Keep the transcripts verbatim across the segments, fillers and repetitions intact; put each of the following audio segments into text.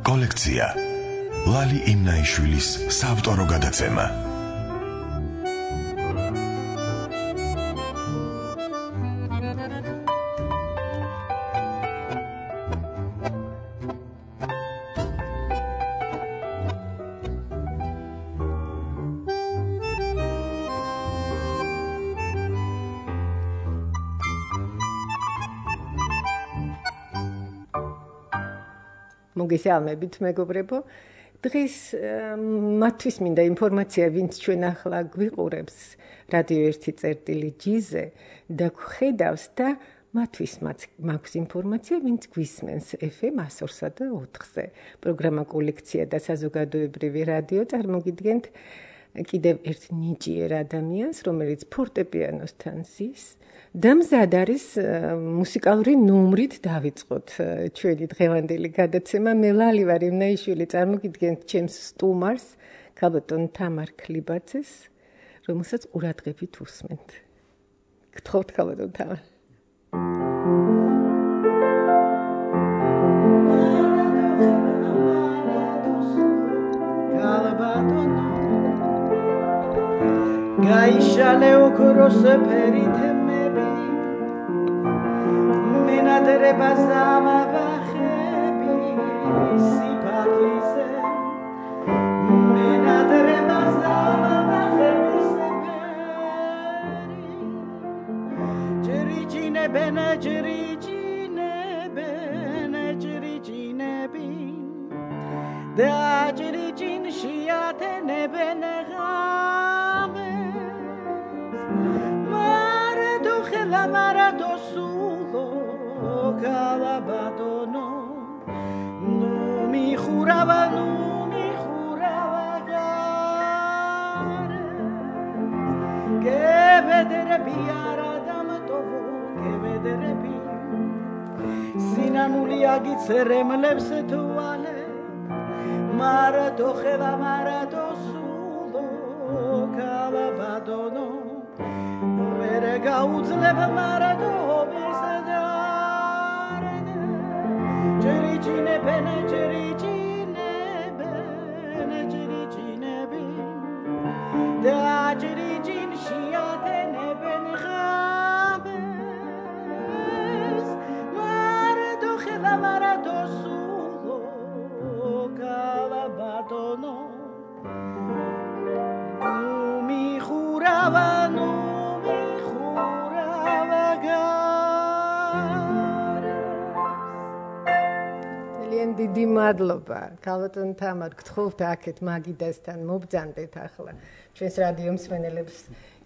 კოლექცია ლალი იმნაიშვილის საავტორო გადაცემა. მოგესალმებით მეგობრებო. დღეს მათთვის მინდა ინფორმაცია, ვინც ჩვენ ახლა გვიყურებს რადიო ერთი წერტილი ჯიზე და ხედავს და მათთვის მაქვს ინფორმაცია, ვინც გვისმენს ეფ ემ one oh three და ოთხზე. პროგრამა კოლექცია და საზოგადოებრივი რადიო წარმოგიდგენთ კიდევ ერთ ნიჭიერ ადამიანს, რომელიც ფორტეპიანოსთან ზის და მზად არის მუსიკალური ნომრით დავიწყოთ ჩვენი დღევანდელი გადაცემა. მე ლალი ვარ იმნაიშვილი, წარმოგიდგენთ ჩემს სტუმარს, ქალბატონ თამარ ქლიბაძეს, რომელსაც ყურადღებით უსმენთ. გთხოვთ ქალბატონ თამარ. გაიშალე ოქროს ფერითმები მენადრება ზამაბახები სიფათიზე მენადრება ზამაბახები ჯრიჯინებენ ჯრიჯინებენ ჯრიჯინებინ და ჯრიჯინ შეათენებენ la marato sulo calabadono no mi juraba no mi juraba gare que vedere biara damatovo que vedere bi sinanuli agitserem lebse tuale marato la marato sulo calabadono გაუძლებ მარადობის დარდ ჯრიჯინებენ ჯრიჯინებენ ჯრიჯინები და ჯრიჯინ შეათენებენ ღამეს მარადო ხელა მარადო სულო კალაბატონო ნუმი ხურავანო დიდი მადლობა. ქალბატონ თამარ, გთხოვთ აქეთ მაგიდასთან მობრძანდეთ ახლა. ჩვენს რადიო მსმენელებს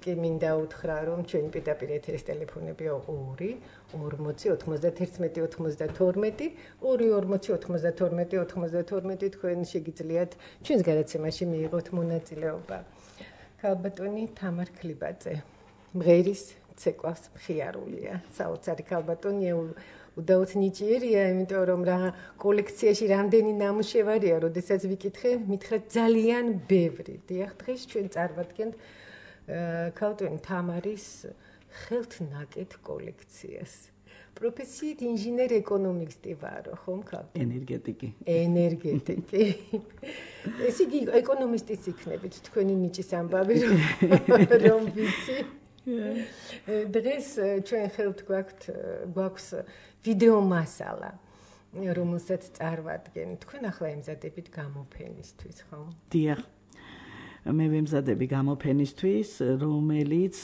კი მინდა უთხრა, რომ ჩვენი პირდაპირ ეთერის ტელეფონებია ორი ორმოცი ოთხმოცდათერთმეტი ოცმოცდათორმეტი ორი ორმოცი ოთხმოცდათორმეტი ოცმოცდათორმეტი თქვენ შეგიძლიათ ჩვენს გადაცემაში მიიღოთ მონაწილეობა. ქალბატონი თამარ ქლიბაძე, მღერის ცეკვავს მხიარულია. საოცარი ქალბატონი უდაოდ ნიჭიერია, იმიტომ რომ რა კოლექციაში რამდენი ნამუშევარია, როდესაც ვიკითხე, მითხრა ძალიან ბევრი. დიახ, დღეს ჩვენ წარმოვიდგენთ ქალბატონი თამარის ხელთნაკეთ კოლექციას. პროფესიით ინჟინერ ეკონომისტი ვარო, ხომ ქალბატონი? ენერგეტიკი. ენერგეტიკი. ეს იგი ეკონომისტიც იქნებით, თქვენი ნიჭის ამბავი რომ ვიცი. დღეს ჩვენ ხელთ გვაქვთ გვაქვს ვიდეო მასალა, რომელსაც წარმოვადგენ. თქვენ ახლა ემზადებით გამოფენისთვის, ხო? დიახ. მე ვემზადები გამოფენისთვის, რომელიც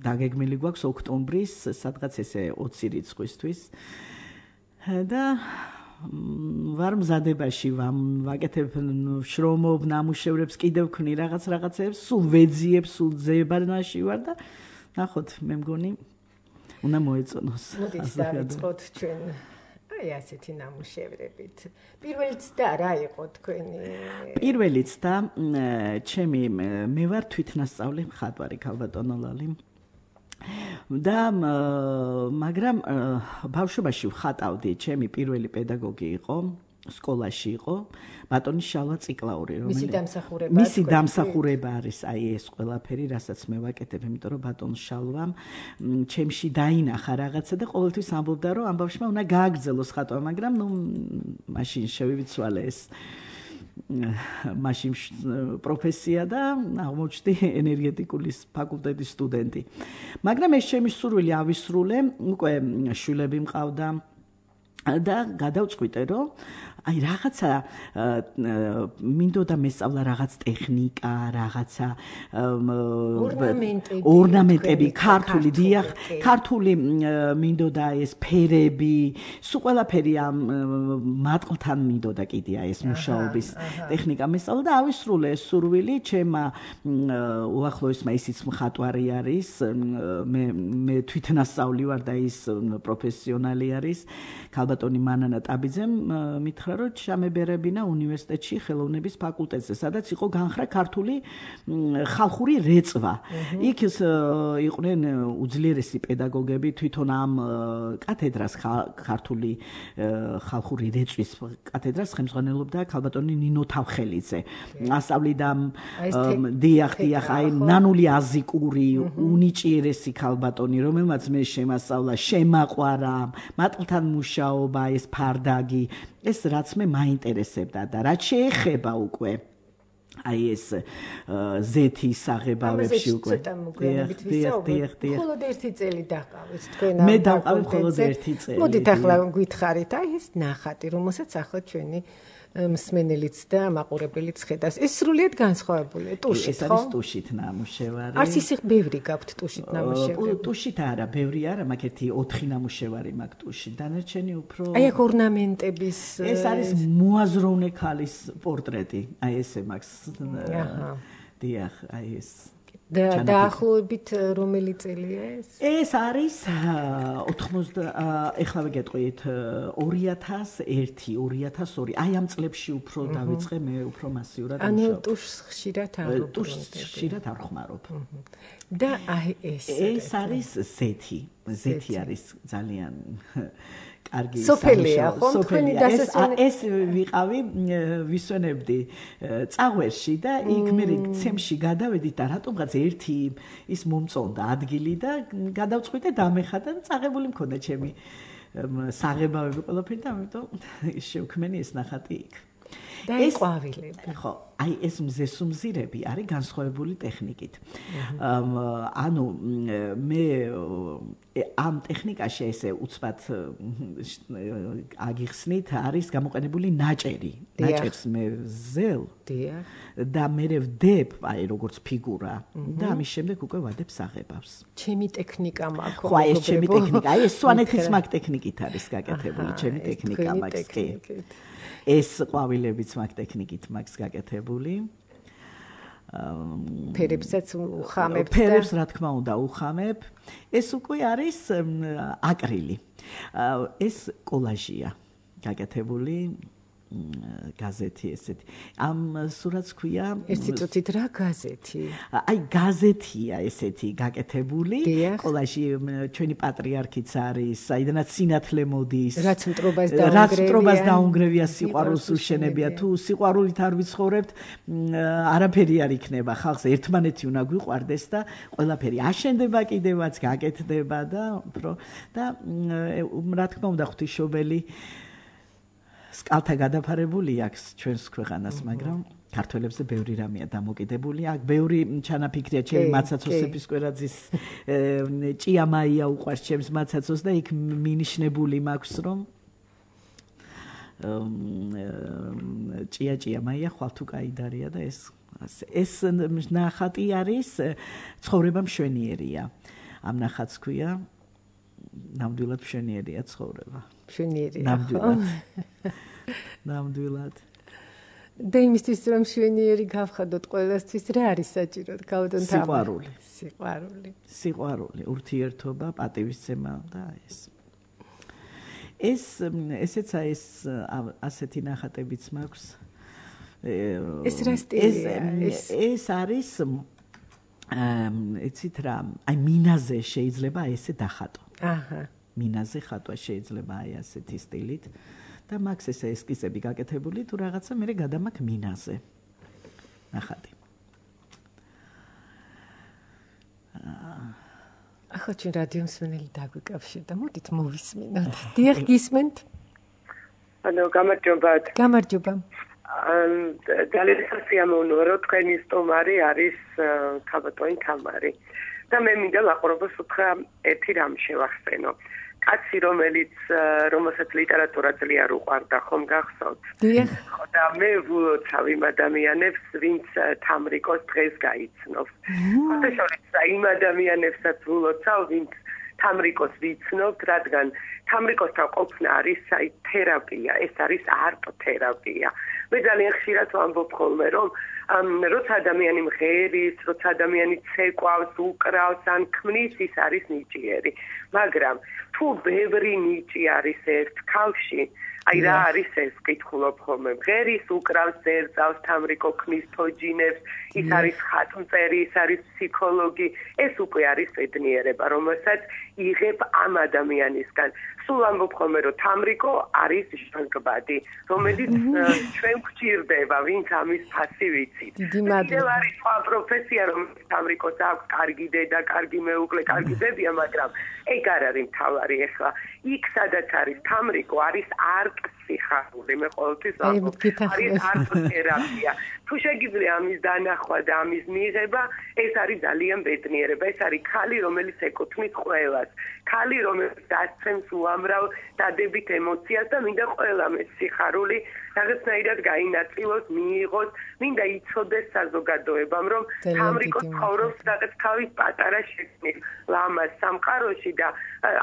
დაგეგმილი გვაქვს ოქტომბრის, სადღაც ესე ოცი რიცხვისთვის. და ვარ მზადებაში, ვაკეთებ შრომობ, ნამუშევრებს, კიდევ ვქნი რაღაც რაღაცებს, სულ ვეძიებ, სულ ძებანაში ვარ და ნახოთ, მე მგონი უნდა მოეწონოს. მოდით დავიწყოთ ჩვენ აი ასეთი ნამუშევრებით. პირველი ცდა რა იყო თქვენი? პირველი ცდა ჩემი მე ვარ თვითნასწავლი მხატვარი ქალბატონო ლალი. და მაგრამ ბავშვობაში ვხატავდი, ჩემი პირველი პედაგოგი იყო სკოლაში იყო ბატონი შალვა ციკლაური, რომელიც მისი დამსახურება მისი დამსახურება არის აი ეს ყველაფერი, რასაც მე ვაკეთებ, იმიტომ რომ ბატონ შალვამ ჩემში დაინახა რაღაცა და ყოველთვის ამბობდა, რომ ამ ბავშვმა უნდა გააგრძელოს ხატვა, მაგრამ ნუ მაშინ შევიცვალე ეს მაშინ პროფესია და აღმოჩნდი ენერგეტიკული ფაკულტეტის სტუდენტი. მაგრამ ეს ჩემი სურვილი ავისრულე, უკვე შვილები მყავდა და გადავწყვიტე, რომ აი რაღაცა მინდოდა მესწავლა რაღაც ტექნიკა, რაღაცა ორნამენტები, ქართული, დიახ, ქართული მინდოდა ეს ფერები, სულ ყველაფერი ამ მატყლთან მინდოდა კიდე აი ეს მუშაობის ტექნიკა მესწავლა და ავისრულე ეს სურვილი, ჩემმა უახლოესმა ისიც მხატვარი არის, მე მე თვითნასწავლი ვარ და ის პროფესიონალი არის, ქალბატონი მანანა ტაბიძემ მითხრა რომ ჩამებერებინა უნივერსიტეტში ხელოვნების ფაკულტეტზე, სადაც იყო განხრა ქართული ხალხური რეწვა. იქ იყვნენ უძლიერესი პედაგოგები, თვითონ ამ კათედრას ქართული ხალხური რეწვის კათედრას ხელმძღვანელობდა ქალბატონი ნინო თავხელიძე. ასწავლიდა დიახ, დიახ, აი ნანული აზიკური, უნიჭიერესი ქალბატონი, რომელმაც მე შემასწავლა, შემაყვარა, მატყლთან მუშაობა, ეს ფარდაგი, ეს რაც მე მაინტერესებდა და რაც შეეხება უკვე აი ეს ზეთის აღებავებში უკვე დიახ, დიახ, დიახ. მხოლოდ ერთი წელი დაყავით თქვენ ამ მე დავყავი მხოლოდ ერთი წელი. მოდით ახლა გითხარით, აი ეს ნახატი, რომელსაც ახლა ჩვენი მსმენელიც და მაყურებელიც ხედავს. ეს სრულიად განსხვავებულია ტუშით, ხო? ეს არის ტუშით ნამუშევარი. არც ისე ბევრი გაქვთ ტუშით ნამუშევარი. ტუშით არა, ბევრი არა, მაგ ერთი ოთხი ნამუშევარი მაგ ტუშით. დანარჩენი უფრო აი აქ ორნამენტების ეს არის მოაზროვნე ქალის პორტრეტი. აი ესე მაგს. აჰა. დიახ, აი ეს და დაახლოებით რომელი წელია ეს? ეს არის ოთხმოცდა ეხლა გეტყვით ორი ათას ერთი, ორი ათას ორი. აი ამ წლებში უფრო დავიწყე მე უფრო მასიურად მუშაობ. ანუ ტუშს ხშირად არ ვუბრუნდები. ტუშს ხშირად არ ხმარობ. და აი ეს ეს არის ზეთი. ზეთი არის ძალიან კარგი სოფელია, ხო? თქვენი დასასვენებელი. ეს ვიყავი, ვისვენებდი წაღვერში და იქ მე ცემში გადავედით და რატომღაც ერთი ის მომწონდა ადგილი და გადავწყვიტე დამეხატა და წაღებული მქონდა ჩემი საღებავები ყველაფერი და ამიტომ შევქმენი ეს ნახატი იქ. და ეს ყვავილები. ხო, აი ეს მზესუმზირები არის განსხვავებული ტექნიკით. ანუ მე ამ ტექნიკაში ესე უცბად აგიხსნით არის გამოყენებული ნაჭერი. ნაჭერს მე ვზელ და მე ვდებ აი როგორც ფიგურა და ამის შემდეგ უკვე ვადებ საღებავს. ჩემი ტექნიკა მაქვს. ხო, ეს ჩემი ტექნიკა. აი ეს სვანეთის მაგ ტექნიკით არის გაკეთებული, ჩემი ტექნიკა მაგს კი. ეს ყვავილებიც მაგ ტექნიკით მაგს გაკეთებული. ფერებსაც უხამებ და ფერებს რა თქმა უნდა უხამებ. ეს უკვე არის აკრილი. ეს კოლაჟია გაკეთებული გაზეთი ესეთი. ამ სურათს ქვია ერთი წუთით რა გაზეთი? აი გაზეთია ესეთი გაკეთებული. კოლაჟი ჩვენი პატრიარქიც არის, საიდანაც სინათლე მოდის. რაც მტრობას დაუნგრევია. რაც მტრობას დაუნგრევია, სიყვარულს უშენებია. თუ სიყვარულით არ ვიცხოვრებთ, არაფერი არ იქნება. ხალხს ერთმანეთი უნდა გვიყვარდეს და ყველაფერი აშენდება კიდევაც, გაკეთდება და უფრო და რა თქმა უნდა ღვთისმშობელი სკალთა გადაფარებული აქვს ჩვენს ქვეყანას, მაგრამ ქართველებზე ბევრი რამეა დამოკიდებული. აქ ბევრი ჩანაფიქრია ჩემი მაცაცოსების კვერაძის ჭიამაია უყვარს ჩემს მაცაცოს და იქ მინიშნებული მაქვს რომ ჭია ჭიამაია ხვალ თუ კაიდარია და ეს ეს ნახატი არის ცხოვრება მშვენიერია. ამ ნახატს ქვია ნამდვილად მშვენიერია ცხოვრება. მშვენიერია. ნამდვილად. ნამდვილად. და იმისთვის რომ მშვენიერი გავხადოთ ყველასთვის რა არის საჭირო? გავდონ თამა. სიყვარული. სიყვარული. სიყვარული, ურთიერთობა, პატივისცემა და ეს. ეს ესეც ეს ასეთი ნახატებიც მაქვს. ეს რა სტილია? ეს არის ეცით რა, აი მინაზე შეიძლება ესე დახატო. აჰა. მინაზე ხატვა შეიძლება აი ასეთი სტილით და მაქვს ესე ესკიზები გაკეთებული თუ რაღაცა მე გადამაქ მინაზე. ნახატი. ახლა ჩვენ რადიო მსმენელი დაგვიკავშირდა. მოდით მოვისმინოთ. დიახ, გისმენთ? ანუ გამარჯობათ. გამარჯობა. ძალიან სასიამოვნოა, რომ თქვენი სტუმარი არის ქალბატონი თამარი. და მე მინდა ლაყურებას უთხრა ერთი რამ შევახსენო. კაცი, რომელიც რომელსაც ლიტერატურა ძლიერ უყვარდა, ხომ გახსოვთ? დიახ. ხო და მე ვლოცავ იმ ადამიანებს, ვინც თამრიკოს დღეს გაიცნობს. ხოთაშორის იმ ადამიანებსაც ვლოცავ, ვინც თამრიკოს ვიცნობთ, რადგან თამრიკოსთან ყოფნა არის საით თერაპია, ეს არის არტ-თერაპია. მე ძალიან ხშირად ვამბობ ხოლმე, რომ როცა ადამიანი მღერის, როცა ადამიანი ცეკვავს, უკრავს ან ქმნის, ის არის ნიჭიერი. მაგრამ თუ ბევრი ნიჭი არის ერთ ქალში, აი რა არის ეს, ვკითხულობ ხოლმე, მღერის, უკრავს, ზერძავს, თამრიკო ქმნის, თოჯინებს, ის არის ხატმწერი, ის არის ფსიქოლოგი, ეს უკვე არის ბედნიერება, რომელსაც იღებ ამ ადამიანისგან. სულ ამბობ ხოლმე, რომ თამრიკო არის ჟანგბადი, რომელიც ჩვენ გვჭირდება, ვინც ამის ფასი ვიცით. დიდი მადლობა. არის სხვა პროფესია, რომელიც თამრიკოს აქვს, კარგი დედა, კარგი მეუღლე, კარგი ბებია, მაგრამ ეგ არ არის მთავარი ახლა. იქ სადაც არის თამრიკო, არის არტ-სიხარული, მე ყოველთვის ვამბობ, არის არტ-თერაპია. თუ შეგიძლია ამის დანახვა და ამის მიღება, ეს არის ძალიან ბედნიერება. ეს არის ქალი, რომელიც ეკუთვნის ყველას. ქალი, რომელიც დასცემს უამრავ დადებით ემოციას და მინდა ყველამ ეს სიხარული რაღაცნაირად გაინაწილოს, მიიღოს, მინდა იცოდეს საზოგადოებამ, რომ თამრიკო ცხოვრობს რაღაც თავის პატარა შექმნით ლამაზ სამყაროში და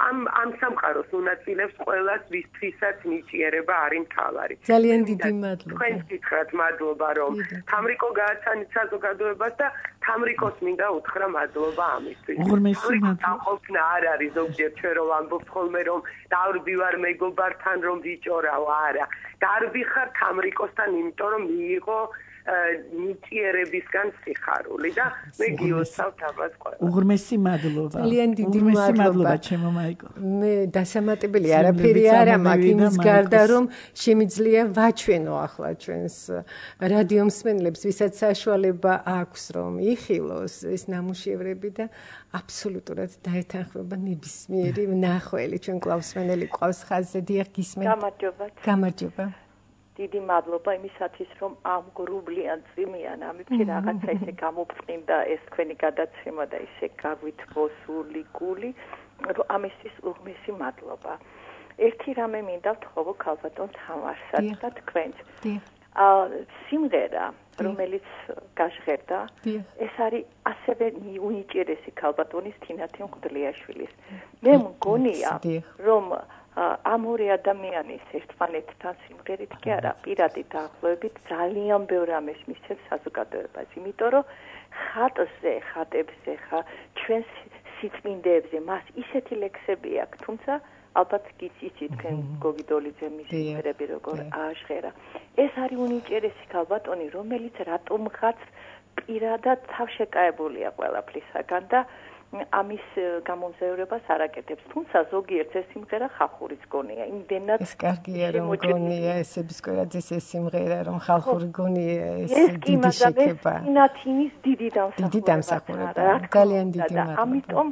ამ ამ სამყაროს უნაწილებს ყველას, ვისთვისაც ნიჭიერება არის მთავარი. ძალიან დიდი მადლობა. თქვენ გითხრათ მადლობა, რომ თამრიკო გააცანით საზოგადოებას და თამრიკოს მინდა უთხრა მადლობა ამისთვის. უღრმესი მადლობა. ყოფნა არ არის ზოგჯერ ჩვენ რომ ამბობთ ხოლმე რომ დარბი ვარ მეგობართან რომ ვიჭორავ, არა. დარბი ხარ თამრიკოსთან, იმიტომ რომ მიიღო ნიჭიერებისგან სიხარული და მე გიოცავთ ამას ყველა. უღრმესი მადლობა. ძალიან დიდი მადლობა ჩემო მაიკო. მე დასამატებელი არაფერი არ მაქვს იმის გარდა რომ შემიძლია ვაჩვენო ახლა ჩვენს რადიო მსმენელებს, ვისაც საშუალება აქვს რომ იხილოს ეს ნამუშევრები და აბსოლუტურად დაეთანხმება ნებისმიერი მნახველი. ჩვენ კლავსმენელი ყავს ხაზზე. დიახ, გისმენთ? გამარჯობა. გამარჯობა. დიდი მადლობა იმისათვის, რომ ამ გრუბლიან წვიმიან ამებში რაღაცა ისე გამოფრინდა ეს თქვენი გადაცემა და ისე გაგვით მოსული გული, რომ ამისთვის უღმესი მადლობა. ერთი რამე მინდა ვთხოვო ქალბატონ თამარსაც და თქვენს. სიმღერა, რომელიც გაჟღერდა, ეს არის ასევე უნიჭიერესი ქალბატონის თინათი მღვდლიაშვილის. მე მგონია, რომ ამ ორი ადამიანის ერთმანეთთან სიმღერით კი არა, პირადი დაახლოებით ძალიან ბევრ რამეს მისცემს საზოგადოებას, იმიტომ რომ ხატზე, ხატებზე, ხა ჩვენს სიწმინდეებზე მას ისეთი ლექსები აქვს, თუმცა ალბათ გიცით თქვენ გოგიდოლიძე მის სიმღერები როგორ ააშღერა. ეს არის უნიჭიერესი ქალბატონი, რომელიც რატომღაც პირადად თავშეკავებულია ყველაფრისაგან და ამის გამომზაურებას არ აკეთებს. თუმცა ზოგიერთ ეს სიმღერა ხალხურის გონია. იმდენად ეს კარგია რომ გონია ესების კვერაძის ეს სიმღერა რომ ხალხური გონია ეს დიდი შეკება. ინათინის დიდი დამსახურება. დიდი დამსახურება. ძალიან დიდი მადლობა. ამიტომ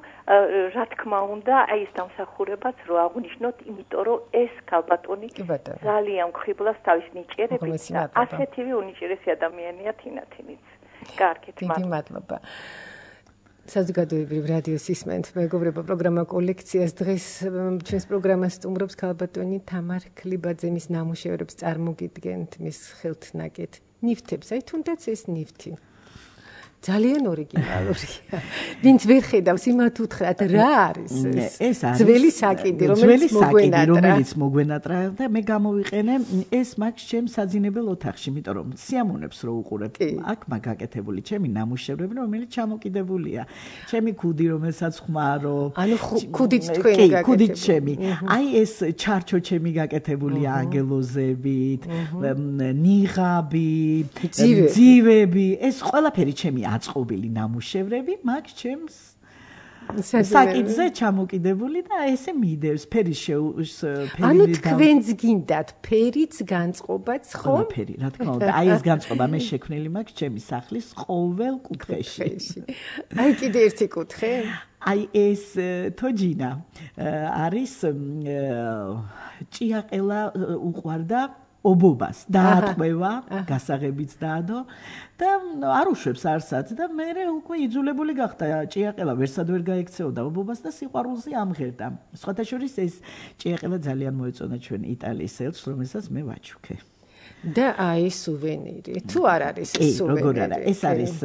რა თქმა უნდა, აი ეს დამსახურებაც რო აღნიშნოთ, იმიტომ რომ ეს ქალბატონი ძალიან მხიბლავს თავის ნიჭიერებით და ასეთივე უნიჭიერესი ადამიანია თინათინიც. კარგით, დიდი მადლობა. საზოგადოებრივ რადიოს ისმენთ მეგობრებო პროგრამა კოლექციას. დღეს ჩვენს პროგრამას სტუმრობს ქალბატონი თამარ ქლიბაძე. მის ნამუშევრებს წარმოგიდგენთ, მის ხელთნაკეთ ნივთებს. აი თუნდაც ეს ნივთი ძალიან ორიგინალურია. ვინც ვერ ხედავს, იმათ უთხრათ რა არის ეს? ეს არის ძველი საკიდი, რომელიც მოგვენატრა, რომელიც მოგვენატრა და მე გამოვიყენე ეს მაქვს ჩემს საძინებელ ოთახში, იმიტომ რომ სიამოვნებს რო უყურებ. აქ მაგ გაკეთებული ჩემი ნამუშევრები, რომელიც ჩამოკიდებულია. ჩემი ქუდი, რომელსაც ხმარო. ანუ ქუდით თქვენ გაკეთებული. ქუდით ჩემი. აი ეს ჩარჩო ჩემი გაკეთებულია ანგელოზებით, ნიღაბი, ძივები, ეს ყველაფერი ჩემი აწყობილი ნამუშევრები, მაგ ჩემს საკითხზე ჩამოკიდებული და ესე მიდევს ფერის შეუს ფერი ანუ თქვენს გინდათ ფერიც განწყობაც ხო? ფერი, რა თქმა უნდა. აი ეს განწყობა მე შექმნილი მაქვს ჩემი სახლის ყოველ კუთხეში. აი კიდე ერთი კუთხე? აი ეს თოჯინა არის ჭიაყელა უყვარდა ობობას დაატყვევა, გასაღებიც დაადო და არ უშვებს არსად და მე უკვე იძულებული გახდა ჭიაყელა ვერსად ვერ გაექცეოდა ობობას და სიყვარულზე ამღერდა. სხვათა შორის ეს ჭიაყელა ძალიან მოეწონა ჩვენ იტალიის ელჩს, რომელსაც მე ვაჩუქე. და აი სუვენირი. თუ არ არის ეს სუვენირი? როგორ არა, ეს არის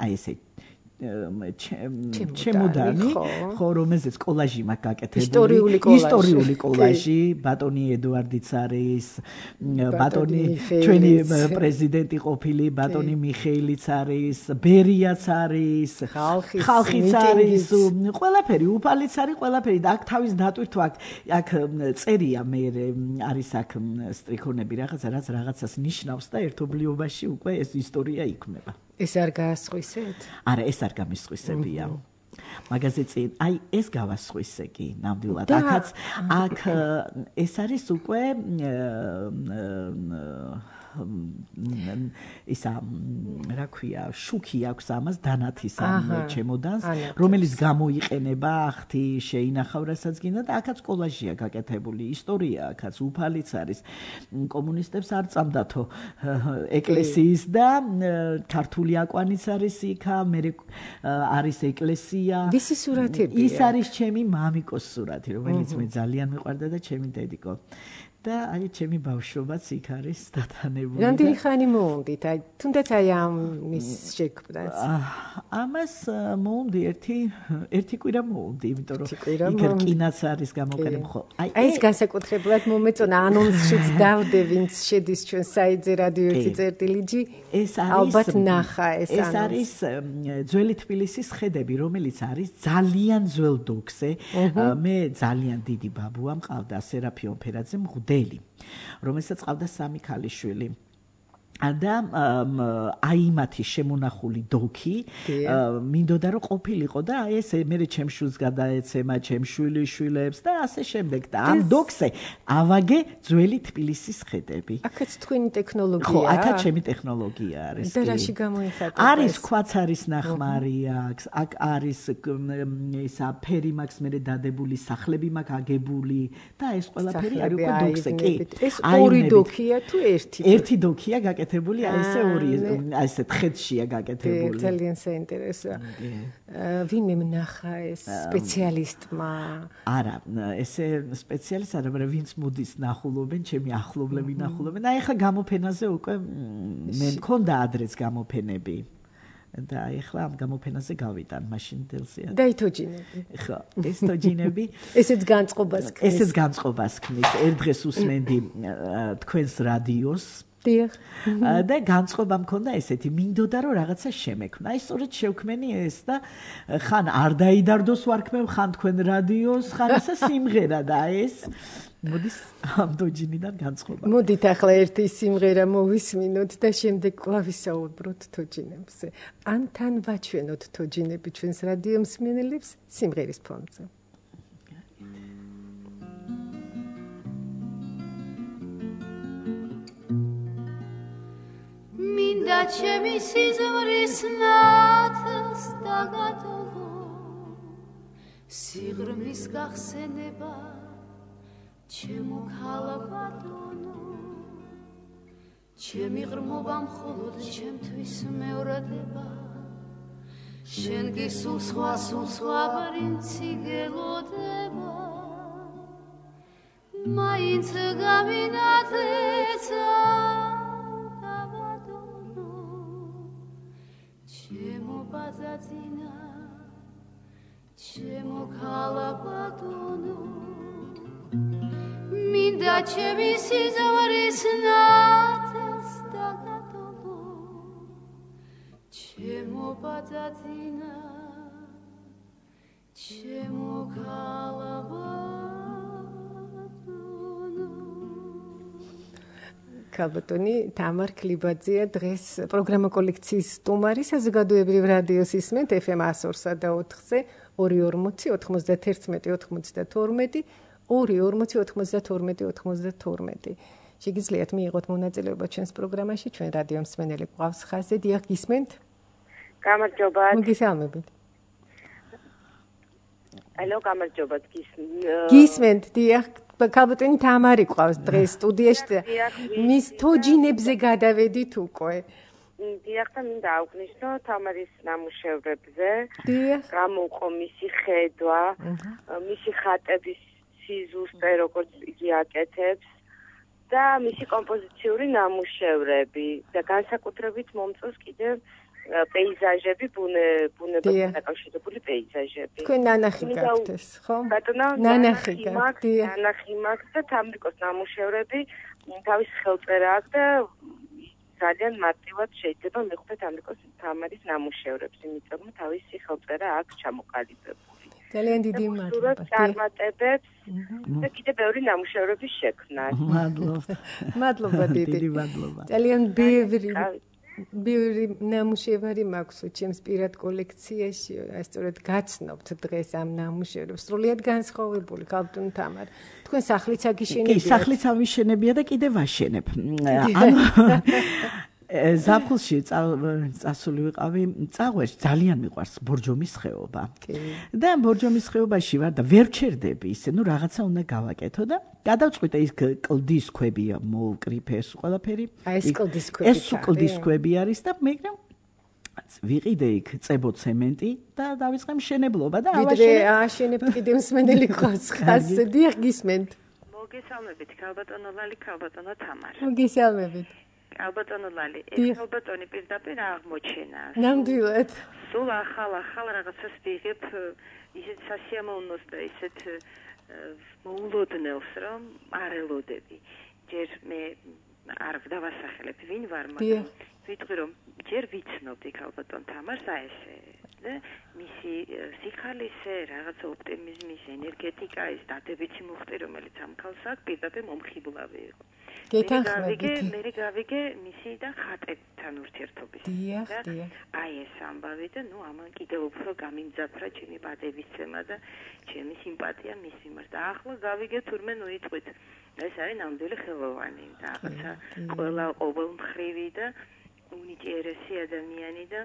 აი ესე ჩემოდანი, ხო, რომელზეც კოლაჟი მაქვს გაკეთებული, ისტორიული კოლაჟი, ბატონი ედუარდიც არის, ბატონი ჩვენი პრეზიდენტი ყოფილი, ბატონი მიხეილიც არის, ბერიაც არის, ხალხიც არის, ყველაფერი, უფალიც არის, ყველაფერი და აქ თავის დატვირთვა აქ აქ წერია მე არის აქ სტრიქონები რაღაცა რაც რაღაცას ნიშნავს და ერთობლიობაში უკვე ეს ისტორია იქმნება. ეს არ გაასხვისეთ? არა, ეს არ გამისხვისებია. მაგაზე წინ, აი ეს გავასხვისე კი, ნამდვილად. აქაც აქ ეს არის უკვე ისა რა ქვია, შუქი აქვს ამას დანათის ამ ჩემოდანს, რომელიც გამოიყენება ახთი შეინახავ რასაც გინდა და აქაც კოლაჟია გაკეთებული, ისტორია აქაც უფალიც არის. კომუნისტებს არ წამდათო ეკლესიის და ქართული აკვანიც არის იქა, მე არის ეკლესია. ვისი სურათებია? ის არის ჩემი მამიკოს სურათი, რომელიც მე ძალიან მიყვარდა და ჩემი დედიკო. და აი ჩემი ბავშვობაც იქ არის დათანებული. რამდენი ხანი მოუნდით? აი თუნდაც აი ამის შექმნას. ამას მოუნდი ერთი ერთი კვირა მოუნდი, იმიტომ რომ იქ რკინაც არის გამოყენებული ხო. აი ეს განსაკუთრებულად მომეწონა ანონსშიც დავდე, ვინც შედის ჩვენ საიძე რადიო ერთი წერტილიჯი. ეს არის ალბათ ნახა ეს ეს არის ძველი თბილისის ხედები, რომელიც არის ძალიან ძველ დოქზე. მე ძალიან დიდი ბაბუა მყავდა სერაფიონ ფერაძე მღვდელი, რომელსაც ყავდა სამი ქალიშვილი. და აი მათი შემონახული დოქი მინდოდა რომ ყოფილიყო და აი ეს მე ჩემშვილს გადაეცემა ჩემშვილიშვილებს და ასე შემდეგ და ამ დოქზე ავაგე ძველი თბილისის ხედები. აქაც თქვენი ტექნოლოგია? ხო, აქაც ჩემი ტექნოლოგია არის. და რაში გამოიხატება? არის ქვაცარის ნახმარი აქვს, აქ არის ისა ფერი მაქვს მე დადებული, სახლები მაქვს აგებული და ეს ყველაფერი არის უკვე დოქზე. კი. ეს ორი დოქია თუ ერთი? ერთი დოქია გაკეთებული, აი ესე ორი, აი ესე თხეთშია გაკეთებული. ძალიან საინტერესოა. ვინმე ნახა ეს სპეციალისტმა? არა, ესე სპეციალისტ არა, მაგრამ ვინც მოდის ნახულობენ, ჩემი ახლობლები ნახულობენ. აი ახლა გამოფენაზე უკვე მე მქონდა ადრეც გამოფენები. და ახლა ამ გამოფენაზე გავიტან მაშინ დელზეა. და ითოჯინები. ხო, ეს თოჯინები. ესეც განწყობას ქმნის. ესეც განწყობას ქმნის. ერთ დღეს უსმენდი თქვენს რადიოს. დიახ. და განწყობა მქონდა ესეთი, მინდოდა რომ რაღაცა შემექმნა. აი სწორედ შევქმენი ეს და ხან არ დაიდარდოს ვარქმევ, ხან თქვენ რადიოს, ხან ესა სიმღერა და ეს მოდის ამ თოჯინიდან განწყობა. მოდით ახლა ერთი სიმღერა მოვისმინოთ და შემდეგ კვლავ ვისაუბროთ თოჯინებზე. ან თან ვაჩვენოთ თოჯინები ჩვენს რადიო მსმენელებს სიმღერის ფონზე. მინდა ჩემი სიზმრის ნათელს დაგატოვო, სიღრმის გახსენება ჩემო ქალბატონო, ჩემი ღრმობა მხოლოდ ჩემთვის მეორდება, შენ გისულ სხვა სულ სხვა პრინცი გელოდება, მაინც გამინათლეცა ჩემო ბაზაზინა, ჩემო ქალბატონო, მინდა ჩემი სიზმრის ნათელს დაგატოვო, ჩემო ბაზაზინა, ჩემო ქალბატონო. ქალბატონი თამარ ქლიბაძეა დღეს პროგრამა კოლექციის სტუმარი საზოგადოებრივ რადიოს ისმენთ ეფ ემ one oh three და ოთხზე ორი ორმოცი ოთხმოცდაერთმეტი ოთხმოცდათორმეტი ორი ორმოცი ოთხმოცდათორმეტი ოთხმოცდათორმეტი შეგიძლიათ მიიღოთ მონაწილეობა ჩვენს პროგრამაში ჩვენ რადიო მსმენელი გვყავს ხაზზე დიახ გისმენთ გამარჯობა მოგესალმებით ალო გამარჯობა გისმენთ დიახ ქალბატონი თამარი ყავს დღეს სტუდიაში მის თოჯინებზე გადავედით უკვე დიახ და მინდა აღვნიშნო თამარის ნამუშევრებზე დიახ გამოუყო მისი ხედვა მისი ხატების სიზუსტე როგორც იგი აკეთებს და მისი კომპოზიციური ნამუშევრები და განსაკუთრებით მომწონს კიდევ პეიზაჟები, ბუნებასთან დაკავშირებული პეიზაჟები. თქვენ ნანახი გაქვთ ეს, ხო? ბატონო, ნანახი გაქვთ. ნანახი მაქვს და თამრიკოს ნამუშევრები თავის ხელწერა აქვს და ძალიან მარტივად შეიძლება მივხვდეთ თამრიკოს თამარის ნამუშევრებს, იმიტომ რომ თავისი ხელწერა აქვს ჩამოყალიბებული. ძალიან დიდი მადლობა. წარმატებებს და კიდევ ბევრი ნამუშევრების შექმნა. მადლობა. მადლობა დიდი. დიდი მადლობა. ძალიან ბევრი ბევრი ნამუშევარი მაქვს ჩემს პირად კოლექციაში, სწორედ გაცნობთ დღეს ამ ნამუშევრებს. სრულიად განსხვავებული ქალბატონ თამარ. თქვენ სახლიც აგიშენებია? კი, სახლიც ავიშენებია და კიდევ ვაშენებ. ანუ ზაფხულში წასული ვიყავი წაღვერს ძალიან მიყვარს ბორჯომის ხეობა. და ბორჯომის ხეობაში ვარ და ვერ ჩერდები ისე, ну რაღაცა უნდა გავაკეთო და გადავწყვიტე ის კლდის ქვები მოვკრიფე ეს ყველაფერი. აი ეს კლდის ქვები. ეს კლდის ქვები არის და მაგრამ ვიყიდე იქ წებო ცემენტი და დავიწყე მშენებლობა და ავაშენე. ვიდრე ააშენებთ კიდევ მსმენელი ყავს ხაზზე, დიახ გისმენთ. მოგესალმებით ქალბატონო ლალი, ქალბატონო თამარ. მოგესალმებით. ალბატონო ლალი, ეს ალბატონი პირდაპირ აღმოჩენა. ნამდვილად. სულ ახალ ახალ რაღაცას ვიღებ, ისეთ სასიამოვნოს და ისეთ მოულოდნელს, რომ არ ელოდები. ჯერ მე არ დავასახელებ ვინ ვარ, მაგრამ ვიტყვი რომ ჯერ ვიცნობდი ქალბატონ თამარს აი ესე და მისი სიხალისე, რაღაცა ოპტიმიზმის, ენერგეტიკა, ეს დადებითი მუხტი, რომელიც ამ ქალს აქვს, პირდაპირ მომხიბლავი იყო. გეთანხმებით. მე გავიგე მისი და ხატებთან ურთიერთობის. დიახ, დიახ. აი ეს ამბავი და ნუ ამან კიდევ უფრო გამიმძაფრა ჩემი პატევისცემა და ჩემი სიმპათია მის მიმართ. და ახლა გავიგე თურმე ნუ იტყვით. ეს არის ნამდვილი ხელოვანი და რაღაცა ყველა ყოველმხრივი და უნიჭიერესი ადამიანი და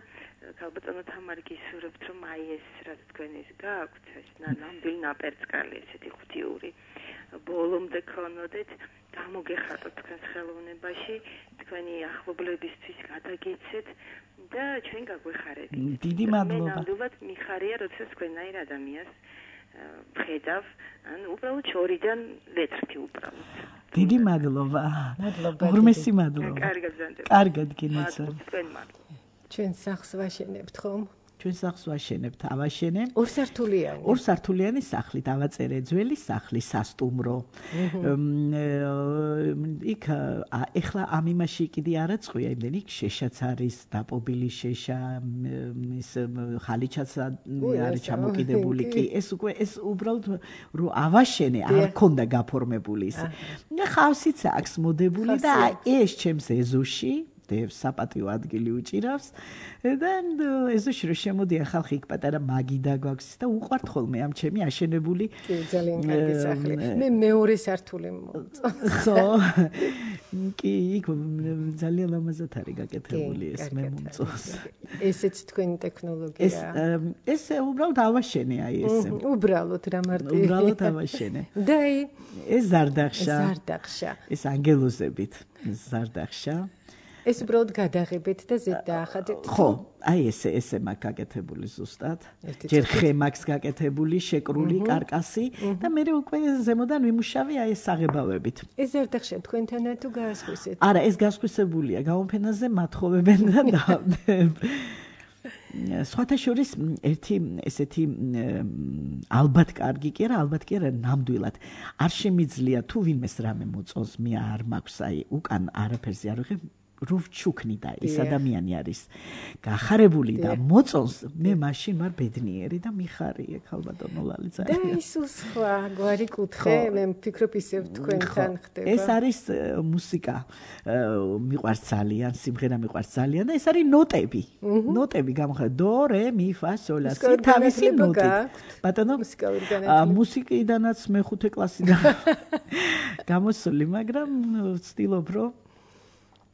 ქალბატონო თამარი გისურვებთ რომ აი ეს რაც თქვენ ეს გაქვთ ეს ნამდვილი ნაპერწკალი ესეთი ღვთიური ბოლომდე ქონოდეთ გამოგეხატოთ თქვენს ხელოვნებაში თქვენი ახლობლებისთვის გადაგეცეთ და ჩვენ გაგვეხარებით. დიდი მადლობა. მე ნამდვილად მიხარია როცა თქვენაირ ადამიანს ვხედავ, ან უბრალოდ შორიდან ვეთრთი უბრალოდ. დიდი მადლობა. მადლობა. ღრმესი მადლობა. კარგად გზანდება. კარგად გინაცა. თქვენ მადლობა. ჩვენ სახლს ვაშენებთ ხომ? ჩვენ სახლს ვაშენებთ, ავაშენე. ორსართულიანი. ორსართულიანი სახლი, დავაწერე ძველი სახლი, სასტუმრო. იქ ეხლა ამ იმაში კიდე არა წყვია, იმდენ იქ შეშაც არის, დაპობილი შეშა, ის ხალიჩაც არის ჩამოკიდებული კი. ეს უკვე ეს უბრალოდ რო ავაშენე, არ ქონდა გაფორმებული ის. ხავსიც აქვს მოდებული და ეს ჩემს ეზოში საპატიო ადგილი უჭირავს და ეზოში რო შემოდია ხალხი იქ პატარა მაგიდა გვაქვს და უყვართ ხოლმე ამ ჩემი აშენებული კი ძალიან კარგი სახლი მე მეორე სართული მოწონს კი იქ ძალიან ლამაზად არის გაკეთებული ეს მე მომწონს ესეც თქვენი ტექნოლოგია ეს ეს უბრალოდ ავაშენე აი ესე უბრალოდ რა მარტივი უბრალოდ ავაშენე და ეს ზარდახშა ზარდახშა ეს ანგელოზებით ზარდახშა ეს უბრალოდ გადაღებით და ზედ დაახადეთ. ხო, აი ესე ესე მაქვს გაკეთებული ზუსტად. ჯერ ხე მაქვს გაკეთებული, შეკრული კარკასი და მე უკვე ზემოდან ვიმუშავე აი ეს საღებავებით. ეს ზარდახშა თქვენთანა თუ გაასხვისეთ? არა, ეს გასხვისებულია. გამოფენაზე მათხოვებენ და სხვათა შორის ერთი ესეთი ალბათ კარგი კი არა, ალბათ კი არა, ნამდვილად არ შემიძლია თუ ვინმეს რამე მოწონს, მე არ მაქვს აი უკან არაფერზე არ ვიღებ რუჩუკნი და ის ადამიანი არის გახარებული და მოწონს მე მაშინ ვარ ბედნიერი და მიხარია ქალბატონო ლალი ძალიან და ის სხვა გვარი კუთხე მე ვფიქრობ ისევ თქვენთან ხდება ეს არის მუსიკა მიყვარს ძალიან სიმღერა მიყვარს ძალიან და ეს არის ნოტები ნოტები გამოხდა დო რე მი ფა სოლ ლა სი თავისი ნოტი ბატონო მუსიკიდანაც მეხუთე კლასიდან გამოსული მაგრამ ვცდილობ რომ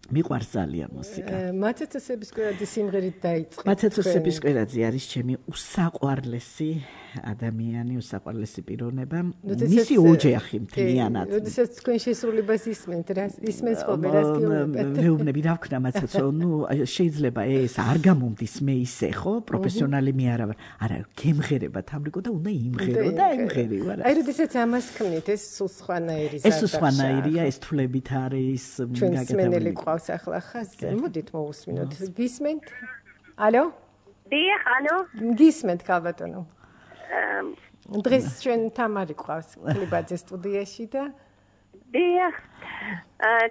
მიყვარს ძალიან მუსიკა. მაცეცოსების კვერაძე სიმღერით დაიწყე. მაცეცოსების კვერაძე არის ჩემი უსაყვარლესი ადამიანი, უსაყვარლესი პიროვნება. მისი ოჯახი მთლიანად. როდესაც თქვენ შესრულებას ისმენთ, რა ისმენს ხოლმე რას გეუბნებათ? მეუბნები რა ვქნა მაცეცო, ნუ შეიძლება ეს არ გამომდის მე ისე ხო, პროფესიონალი მე არა ვარ. არა, გემღერება თამრიკო და უნდა იმღერო და იმღერი ვარ. აი როდესაც ამას ხმნით, ეს სულ სხვანაირი ზარდახშა. ეს სხვანაირია, ეს თვლებით არის გაკეთებული. ყავს ახლა ხაზზე. მოდით მოусმინოთ. გისმენთ? ალო? დიახ, ალო? გისმენთ ქალბატონო. დღეს ჩვენ თამარი ყავს კლიბაძე სტუდიაში და დიახ.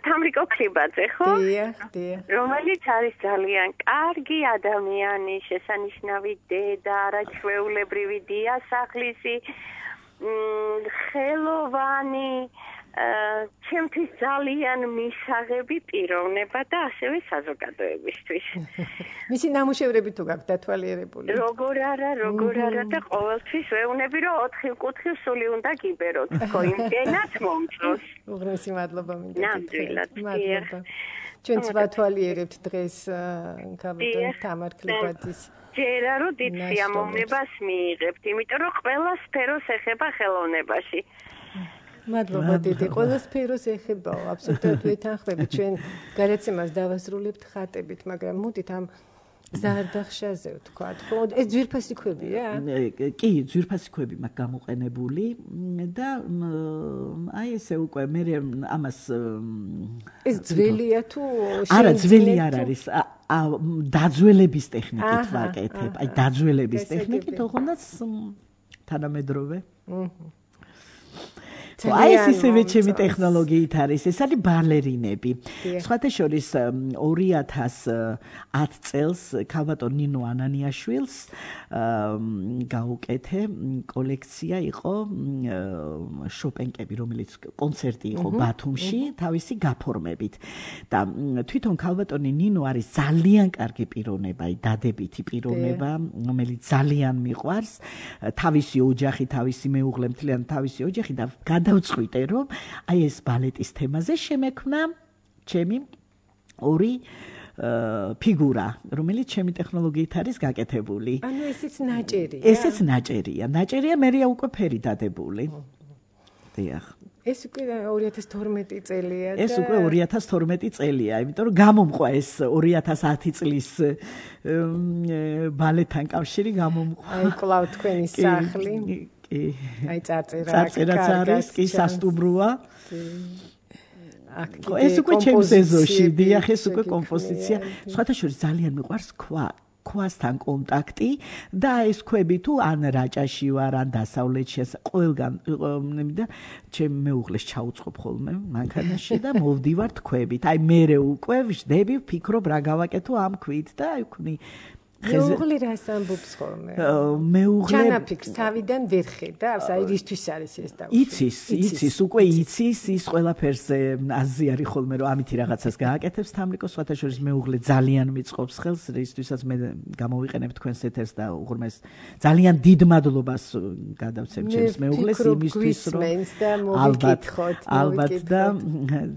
თამრიკო კლიბაძე, ხო? დიახ, დიახ. რომელიც არის ძალიან კარგი ადამიანი, შესანიშნავი დედა, არაჩვეულებრივი დიასახლისი, ხელოვანი ჩემთვის ძალიან მისაღები პიროვნება და ასევე საზოგადოებისთვის. მისი ნამუშევრები თუ გაქვთ დათვალიერებული? როგორ არა, როგორ არა და ყოველთვის ვეუბნები რომ ოთხი კუთხე სული უნდა გიბეროთ. ხო, იმდენად მომწონს. უღრესი მადლობა მინდა. ნამდვილად. მადლობა. ჩვენც ვათვალიერებთ დღეს ქალბატონ თამარ კლიბაძის ჯერა რომ დიდ სიამოვნებას მიიღებთ, იმიტომ რომ ყველა სფეროს ეხება ხელოვნებაში. მადლობა დიდი. ყველა სფეროს ეხებაო, აბსოლუტურად ვეთანხმები. ჩვენ გადაცემას დავასრულებთ ხატებით, მაგრამ მოდით ამ ზარდახშაზე ვთქვათ, ხო? ეს ძვირფასი ქვებია? კი, ძვირფასი ქვები მაქვს გამოყენებული და აი ესე უკვე მე ამას ეს ძველია თუ არა, ძველი არ არის. დაძველების ტექნიკით ვაკეთებ. აი დაძველების ტექნიკით, თუნდაც თანამედროვე. აჰა. აი ეს ისევე ჩემი ტექნოლოგიით არის, ეს არის ბალერინები. სხვათა შორის ორი ათას ათ წელს ქალბატონ ნინო ანანიაშვილს გაუკეთე კოლექცია იყო შოპენკები, რომელიც კონცერტი იყო ბათუმში, თავისი გაფორმებით. და თვითონ ქალბატონი ნინო არის ძალიან კარგი პიროვნება, დადებითი პიროვნება, რომელიც ძალიან მიყვარს, თავისი ოჯახი, თავისი მეუღლე, მთლიან თავისი ოჯახი და დავწყვიტე რომ აი ეს ბალეტის თემაზე შემექმნა ჩემი ორი ფიგურა, რომელიც ჩემი ტექნოლოგიით არის გაკეთებული. ანუ ესეც ნაჭერია. ესეც ნაჭერია. ნაჭერია მერია უკვე ფერი დადებული. დიახ. ეს უკვე ორი ათას თორმეტი წელია და ეს უკვე ორი ათას თორმეტი წელია, იმიტომ რომ გამომყვა ეს ორი ათას ათი წლის ბალეტთან კავშირი გამომყვა. აი კლავ თქვენი სახლი. აი წარწერა წარწერაც არის კი სასტუმროა ეს უკვე ჩემს ეზოში დიახ ეს უკვე კომპოზიცია სხვათა შორის ძალიან მიყვარს ქვა ქვასთან კონტაქტი და ეს ქვები თუ ან რაჭაში ვარ ან დასავლეთში ყველგან და ჩემ მეუღლეს ჩაუწყობ ხოლმე მანქანაში და მოვდივართ ქვებით აი მე უკვე ვждები ვფიქრობ რა გავაკეთო ამ ქვით და აი ვქნი მეუღლე რას ამბობს ხოლმე? მეუღლე ჩანაფიქრს თავიდან ვერ ხედავს, აი რისთვის არის ეს დაუშვი. იცის, იცის, უკვე იცის, ის ყველაფერს აზიარი ხოლმე რომ ამითი რაღაცას გააკეთებს თამრიკო, სხვათა შორის მეუღლე ძალიან მიწყობს ხელს, რისთვისაც მე გამოვიყენებ თქვენს ეთერს და უღრმეს ძალიან დიდ მადლობას გადავცემ ჩემს მეუღლეს იმისთვის რომ ალბათ ალბათ და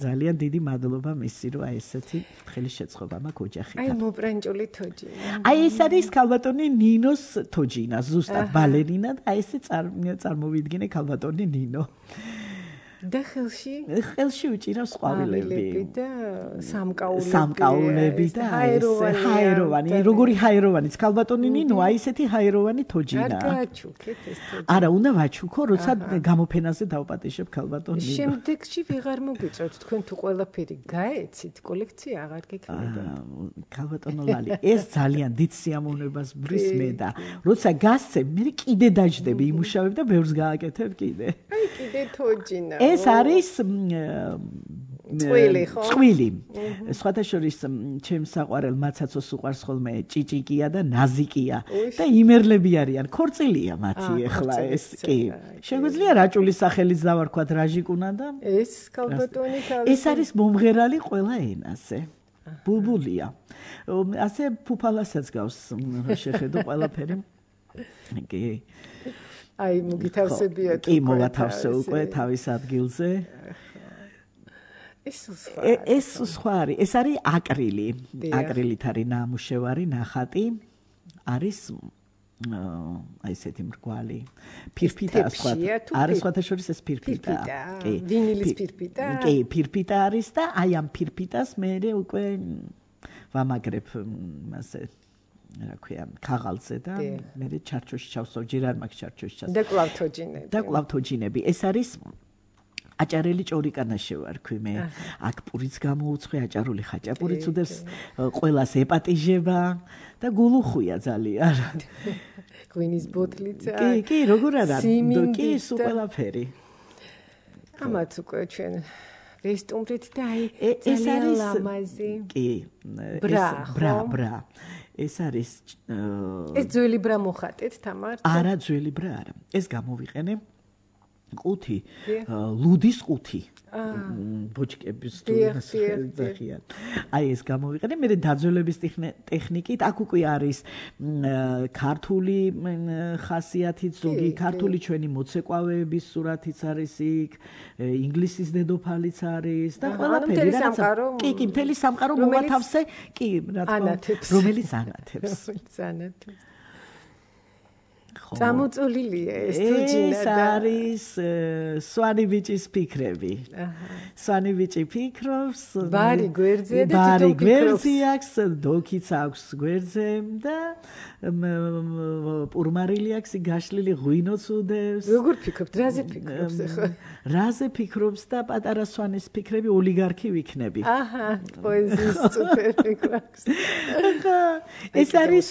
ძალიან დიდი მადლობა მისი რომ აი ესეთი ხელი შეწყობა მაქვს ოჯახით. აი მოპრანჭული თოჯინა. აი ეს არის ქალბატონი ნინოს თოჯინა, ზუსტად ბალერინა და აი ესე წარმოვიდგინე ქალბატონი ნინო. და ხელში? ხელში უჭირავს ყვავილები და სამკაულები. სამკაულები და ესე ჰაეროვანი, როგორი ჰაეროვანიც ქალბატონი ნინო, აი ესეთი ჰაეროვანი თოჯინა. არ გააჩუქეთ ეს თოჯინა. არა, უნდა ვაჩუქო, როცა გამოფენაზე დავპატეშებ ქალბატონი ნინო. შემდეგში ვეღარ მოგიწევთ, თქვენ თუ ყველაფერი გაეცით, კოლექცია აღარ გექნება. ქალბატონო ლალი, ეს ძალიან დიდ სიამოვნებას ბრის მე და როცა გასცემ, მე კიდე დაждები იმუშავებ და ბევრს გააკეთებ კიდე. აი კიდე თოჯინა. ეს არის წვილი ხო? წვილი. სხვათა შორის ჩემს საყვარელ მაცაცოს უყვარს ხოლმე ჭიჭიკია და ნაზიკია და იმერლები არიან. ქორწილია მათი ეხლა ეს კი. შეგვიძლია რაჭულის სახელით დავარქვათ რაჟიკუნა და ეს ქალბატონი თავის ეს არის მომღერალი ყველა ენაზე. ბულბულია. ასე ფუფალასაც გავს შეხედო ყველაფერი. კი. აი მოგითავსებიათ. კი მოვათავსე უკვე თავის ადგილზე. ეს სხვა ეს სხვა არის, ეს არის აკრილი. აკრილით არის ნამუშევარი, ნახატი. არის აი ესეთი მრგვალი. ფირფიტა სხვა. არის სხვათა შორის ეს ფირფიტა. კი. ვინილის ფირფიტა? კი, ფირფიტა არის და აი ამ ფირფიტას მე უკვე ვამაგრებ მასე რა ქვია, ქაღალზე და მე ჩარჩოში ჩავსვავ, ჯერ არ მაქვს ჩარჩოში ჩავსვავ. და კლავთოჯინები. და კლავთოჯინები. ეს არის აჭარელი ჭორიკანაში ვარქვი მე. აქ პურიც გამოუცხე, აჭარული ხაჭაპურიც უდევს, ყველას ეპატიჟება და გულუხვია ძალიან. ღვინის ბოთლიცა. კი, კი, როგორ არა? კი, სულ ყველაფერი. ამათ უკვე ჩვენ ვესტუმრით და აი ძალიან ლამაზი. კი, ბრა, ბრა, ბრა. ეს არის ეს ძველი ბრა მოხატეთ თამარ? არა, ძველი ბრა არა. ეს გამოვიყენე ყუთი, ლუდის ყუთი. ბოჭკების ძახიან. აი ეს გამოვიყენე, მე დაძველების ტექნიკით, აქ უკვე არის ქართული ხასიათით, ზოგი ქართული ჩვენი მოცეკვავეების სურათიც არის იქ, ინგლისის დედოფალიც არის და ყველაფერი რაღაც. კი, კი, მთელი სამყარო მოვათავსე, კი, რა თქმა უნდა, რომელიც ანათებს. ანათებს. წამოწოლილია ეს თუჯინა და ეს არის სვანი ბიჭის ფიქრები. სვანი ბიჭი ფიქრობს, ბარი გვერდზე და ბარი გვერდზე აქვს, დოქიც აქვს გვერდზე და პურმარილი აქვს გაშლილი ღვინოც უდევს. როგორ ფიქრობთ, რაზე ფიქრობს ახლა? რაზე ფიქრობს და პატარა სვანის ფიქრები ოლიგარქი ვიქნები. აჰა, პოეზიის წუთები გვაქვს. ეს არის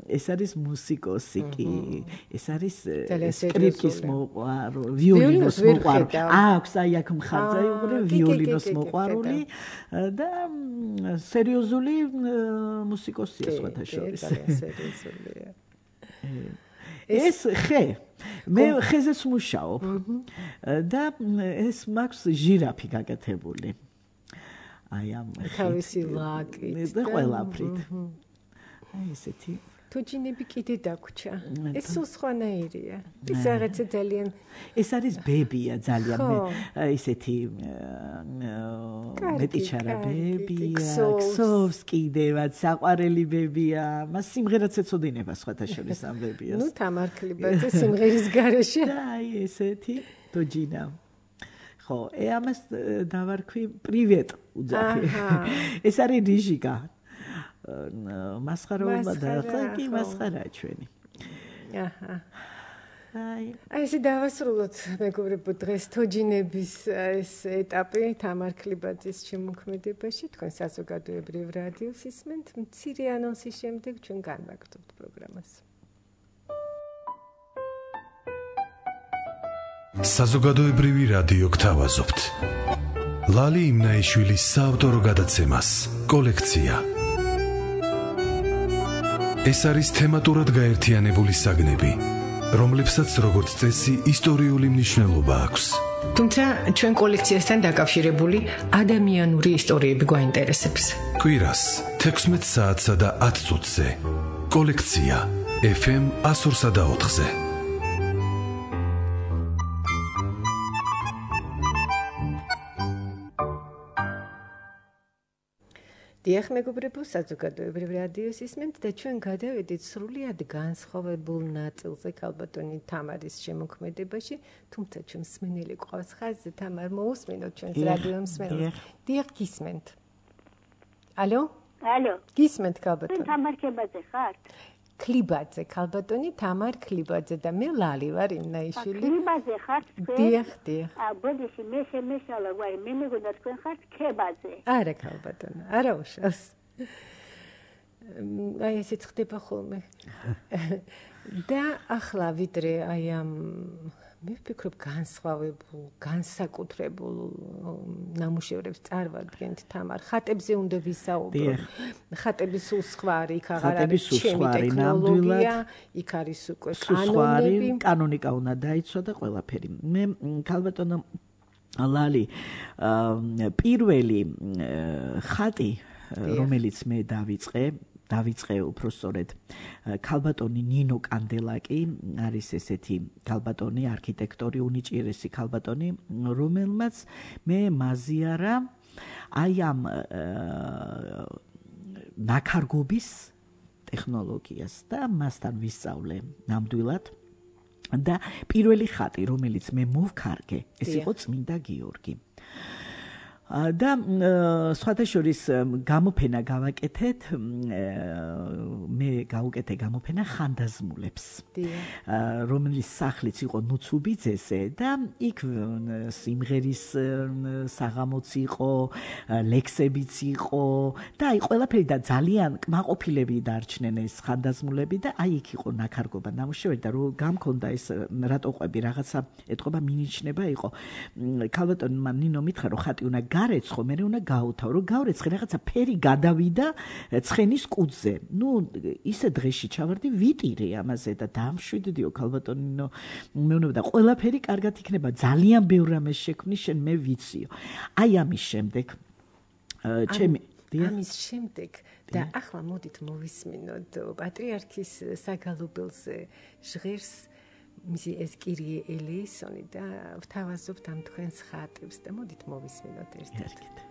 ეს არის მუსიკოსი კი. ეს არის სკრიპკის მოყვარული, ვიოლინოს მოყვარული. აქვს აი აქ მხარზე უყურე ვიოლინოს მოყვარული და სერიოზული მუსიკოსია სხვათა შორის. სერიოზულია. ეს ხე მე ხეზეც მუშაობ და ეს მაქვს ჟირაფი გაკეთებული. აი ამ თავისი ლაკით და ყველაფრით. აი ესეთი თუჯინები კიდე დაგვრჩა. ეს სულ სხვანაირია. ეს რაღაცა ძალიან ეს არის ბებია ძალიან მე ისეთი მეტიჩარა ბებია. ქსოვს კიდევაც საყვარელი ბებია. მას სიმღერაც ეწოდინება სხვათა შორის ამ ბებიას. ნუ თამარქლიბაძე სიმღერის გარეშე. აი ესეთი თუჯინა. ხო, ე ამას დავარქვი პრივეტ უძახი. ეს არის რიჟიკა. მასხარაობა და ხო კი მასხარაა ჩვენი. აჰა. აი, აი ესე დავასრულოთ მეგობრებო დღეს თოჯინების ეს ეტაპი თამარქლიბაძის შემოქმედებაში. თქვენ საზოგადოებრივ რადიოს ისმენთ. მცირე ანონსის შემდეგ ჩვენ განვაგრძობთ პროგრამას. საზოგადოებრივი რადიო გთავაზობთ. ლალი იმნაიშვილის საავტორო გადაცემას კოლექცია. ეს არის თემატურად გაერთიანებული საგნები, რომლებსაც როგორც წესი ისტორიული მნიშვნელობა აქვს. თუმცა ჩვენ კოლექციასთან დაკავშირებული ადამიანური ისტორიები გვაინტერესებს. კვირას თექვსმეტ საათსა და ათ წუთზე. კოლექცია ეფ ემ one oh four ზე. დიახ მეგობრებო, საზოგადოებრივ რადიოს ისმენთ და ჩვენ გადავედით სრულიად განსხვავებულ ნაწილზე ქალბატონი თამარის შემოქმედებაში, თუმცა ჩვენ მსმენელი ყავს ხაზზე. თამარ, მოусმინოთ ჩვენს რადიო მსმენელს. დიახ, გისმენთ. ალო? ალო. გისმენთ ქალბატონი. თუ თამარ ქებაძე ხართ? ქლიბაძე, ქალბატონი თამარ ქლიბაძე და მე ლალი ვარ იმნაიშვილი. ქლიბაძე ხართ თქვენ? დიახ, დიახ. ა ბოდიში მე შემეშალა ვარ, მე მეგონა თქვენ ხართ ქებაძე. არა ქალბატონო, არა უშავს. აი ესეც ხდება ხოლმე. და ახლა ვიდრე აი ამ მე ვფიქრობ განსხვავებულ, განსაკუთრებულ ნამუშევრებს წარვადგენთ თამარ. ხატებზე უნდა ვისაუბრო. ხატები სულ სხვა არის, იქ აღარ არის ჩემი ტექნოლოგია, იქ არის უკვე კანონები. კანონიკა უნდა დაიცვა და ყველაფერი. მე ქალბატონო ლალი პირველი ხატი, რომელიც მე დავიწყე დავიწყე უпростоრედ ქალბატონი ნინო კანდელაკი არის ესეთი ქალბატონი არქიტექტორი უნიჭიერესი ქალბატონი რომელმაც მე მაზიარა აი ამ ნაქარგობის ტექნოლოგიას და მასთან ვისწავლე ნამდვილად და პირველი ხატი რომელიც მე მოვქარგე ეს იყო წმინდა გიორგი და სხვადასხვის გამოფენა გავაკეთეთ მე გავუკეთე გამოფენა ხანდაზმულებს რომელიც სახლიც იყო ნუცუბიძეზე და იქ სიმღერის საღამოც იყო ლექსებიც იყო და აი ყველაფერი და ძალიან კმაყოფილები დარჩნენ ეს ხანდაზმულები და აი იქ იყო ნაქარგობა ნამუშევარი და რო გამქონდა ეს რატო ყვები რაღაცა ეთქობა მინიშნება იყო ქალბატონმა ნინო მითხრა რომ ხატი უნდა გარეცხო, მე უნდა გაუთავ, რომ გავრეცხე რაღაცა ფერი გადავიდა ცხენის კუძზე. ნუ ისე დღეში ჩავარდი ვიტირე ამაზე და დამშვიდდიო ქალბატონინო. მე უნდა და ყველაფერი კარგად იქნება. ძალიან ბევრ რამეს შექმნი შენ მე ვიციო. აი ამის შემდეგ ჩემი ამის შემდეგ და ახლა მოდით მოვისმინოთ პატრიარქის საგალობელზე ჟღერს მისი ეს კირიე ელეისონი და ვთავაზობთ ამ თქვენს ხატებს და მოდით მოვისმინოთ ერთად.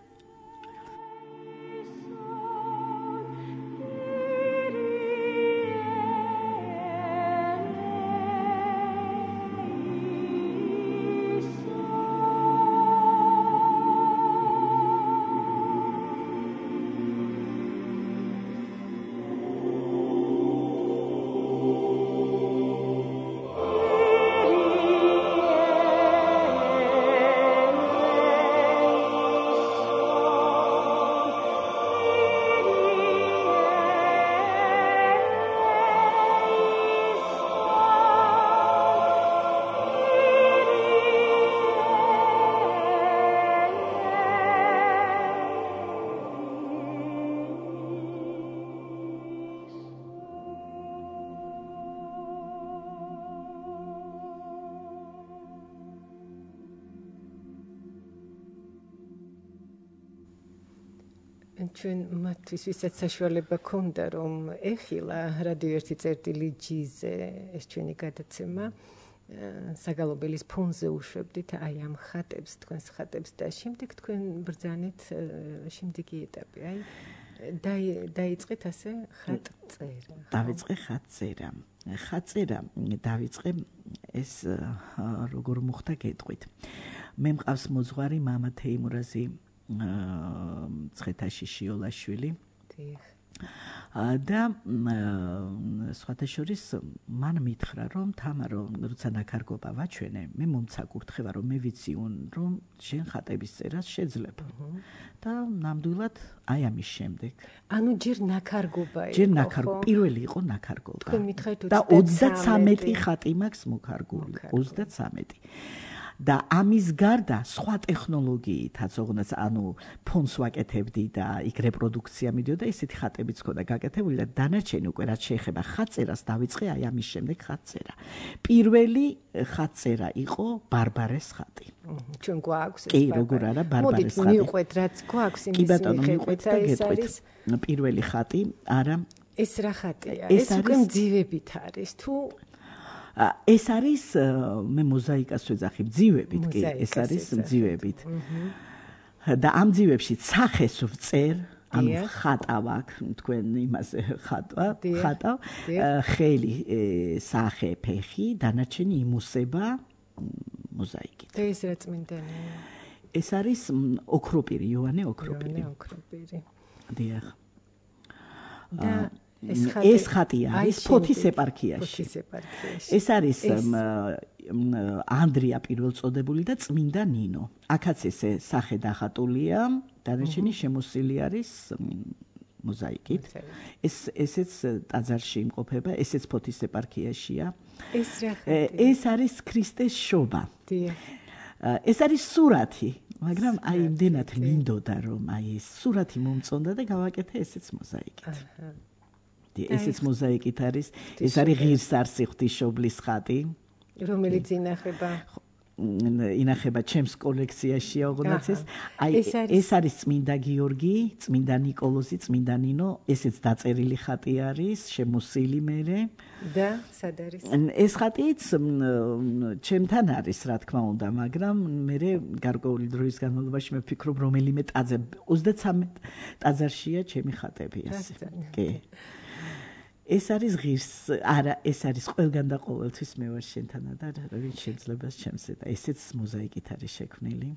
ჩვენ მათთვის ვისაც საშუალება ქონდა რომ ეხილა რადიო ერთი წერტილი ჯიზე ეს ჩვენი გადაცემა საგალობელის ფონზე უშვებდით აი ამ ხატებს თქვენს ხატებს და შემდეგ თქვენ ბრძანეთ შემდეგი ეტაპი აი დაიწყეთ ასე ხატწერა დავიწყე ხატწერა ხატწერა დავიწყე ეს როგორ მოხდა გეტყვით მე მყავს მოძღვარი მამა თეიმურაზი ცხეთაში შიოლაშვილი და სხვადასხვის მან მითხრა რომ თამარო როცა ნაქარგობა ვაჩვენე მე მომცა კურთხევა რომ მე ვიცი რომ შენ ხატების წერას შეძლებ და ნამდვილად აი ამის შემდეგ ანუ ჯერ ნაქარგობა იყო ჯერ ნაქარგობა პირველი იყო ნაქარგობა და ოცდათსამეტი ხატი მაქვს მოკარგული ოცდათსამეტი და ამის გარდა სხვა ტექნოლოგიითაც ოღონდ ანუ ფონს ვაკეთებდი და იქ რეპროდუქცია მიდიოდა ესეთი ხატებიც ქონდა გაკეთებული და დანარჩენი უკვე რაც შეეხება ხატწერას დავიწყე აი ამის შემდეგ ხატწერა პირველი ხატწერა იყო ბარბარეს ხატი ჩვენ გვაქვს ეს კი როგორ არა ბარბარეს ხატი მივყვეთ რაც გვაქვს იმის მიხედვით და გეტყვით პირველი ხატი არა ეს რა ხატია ეს უკვე მძივებით არის თუ ეს არის მე მოზაიკას ვეძახი მძივებით კი ეს არის მძივებით და ამ მძივებში სახეს ვწერ ანუ ხატავ აქ თქვენ იმაზე ხატვა ხატავ ხელი სახე ფეხი დანარჩენი იმუსება მოზაიკით და ეს რა წმინდანია ეს არის ოქროპირი იოანე ოქროპირი ოქროპირი დიახ და ეს ხატია ის ფოთის ეპარქიაში ეს არის ანდრია პირველწოდებული და წმინდა ნინო აქაც ესე სახე დახატულია დანარჩენი შემოსილი არის მოზაიკით. ეს ესეც ტაძარში იმყოფება, ესეც ფოთის ეპარქიაშია. ეს რა ხდება? ეს არის ქრისტეს შობა. ეს არის სურათი, მაგრამ აი იმდენად მინდოდა რომ აი ეს სურათი მომწონდა და გავაკეთე ესეც მოზაიკით. აჰა. ესეც მოზაიკით არის, ეს არის ღირსარსი ღვთისმშობლის ხატი, რომელიც ინახება ინახება ჩემს კოლექციაში, ოღონდ ეს აი ეს არის წმინდა გიორგი, წმინდა ნიკოლოზი, წმინდა ნინო, ესეც დაწერილი ხატი არის, შემოსილი მერე და სად არის? ეს ხატიც ჩემთან არის, რა თქმა უნდა, მაგრამ მერე გარკვეული დროის განმავლობაში მე ვფიქრობ, რომელიმე ტაძარ ოცდათრამეტ ტაძარშია ჩემი ხატები ასე. კი. ეს არის ღირს, არა, ეს არის ყველგან და ყოველთვის მე ვარ შენთან და ვინ შეიძლება ჩემსე და ესეც მოზაიკით არის შექმნილი.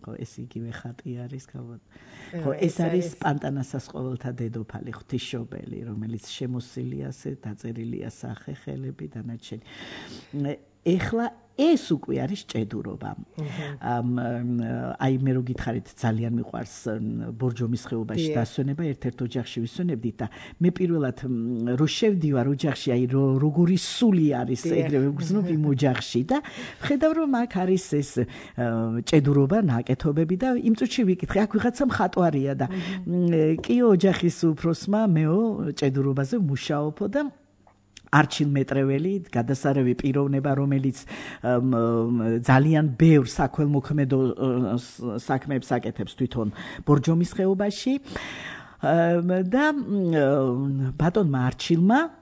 ხო, ეს იგივე ხატი არის, გავად. ხო, ეს არის პანტანასას ყოველთა დედოფალი, ღვთისმშობელი, რომელიც შემოსილია ასე დაწერილია სახე, ხელები და ნაჩვენი. ეხლა ეს უკვე არის ჭედურობა. აი მე რო გითხარით ძალიან მიყვარს ბორჯომის ხეობაში დასვენება, ერთ-ერთ ოჯახში ვისვენებდით და მე პირველად რო შევდივარ ოჯახში, აი როგორი სული არის ეგრევე ვგრძნობ იმ ოჯახში და ხედავ რომ აქ არის ეს ჭედურობა, ნაკეთობები და იმ წუთში ვიკითხე, აქ ვიღაცა მხატვარია და კიო ოჯახის უფროსმა მეო ჭედურობაზე მუშაობო და არჩილ მეტრეველი, გადასარევი პიროვნება, რომელიც ძალიან ბევრ საქველმოქმედო საქმეებს აკეთებს თვითონ ბორჯომის ხეობაში და ბატონმა არჩილმა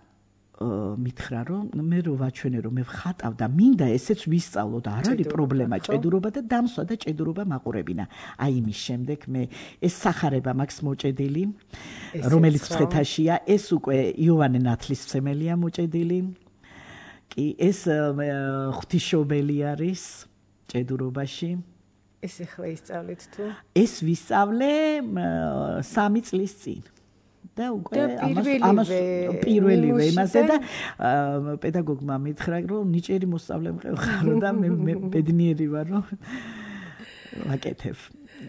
მითხრა რომ მე რო ვაჩვენე რომ მე ვხატავ და მინდა ესეც ვისწავლო და არ არის პრობლემა ჭედურობა და დამსვა და ჭედურობა მაყურებინა. აი იმის შემდეგ მე ეს სახარება მაქვს მოჭედილი, რომელიც მცხეთაშია, ეს უკვე იოვანე ნათლისმცემელია მოჭედილი. კი, ეს ღვთისმშობელი არის ჭედურობაში. ეს ახლა ისწავლეთ თუ? ეს ვისწავლე სამი წლის წინ. და უკვე ამას პირველივე იმაზე და პედაგოგმა მითხრა რომ ნიჭიერი მოსწავლე მყევხარო და მე ბედნიერი ვარ რომ ვაკეთებ.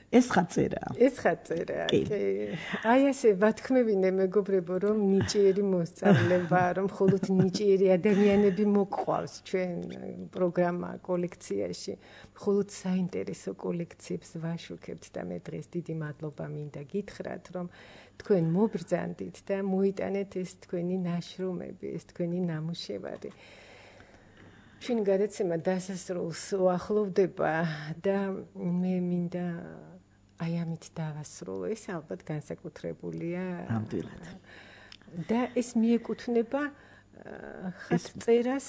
ეს ხაწერაა. ეს ხაწერაა. აი ასე ვათქმევინე მეგობრებო რომ ნიჭიერი მოსწავლე ვარ, რომ მხოლოდ ნიჭიერი ადამიანები მოგყვავს ჩვენ პროგრამა კოლექციაში. მხოლოდ საინტერესო კოლექციებს ვაშუქებთ და მე დღეს დიდი მადლობა მინდა გითხრათ რომ თქვენ მობრძანდით და მოიტანეთ ეს თქვენი ნაშრომები, ეს თქვენი ნამუშევარი. ჩვენ გადაცემა დასასრულს უახლოვდება და მე მინდა აი ამით დავასრულო. ეს ალბათ განსაკუთრებულია. ნამდვილად. და ეს მიეკუთვნება ხატწერას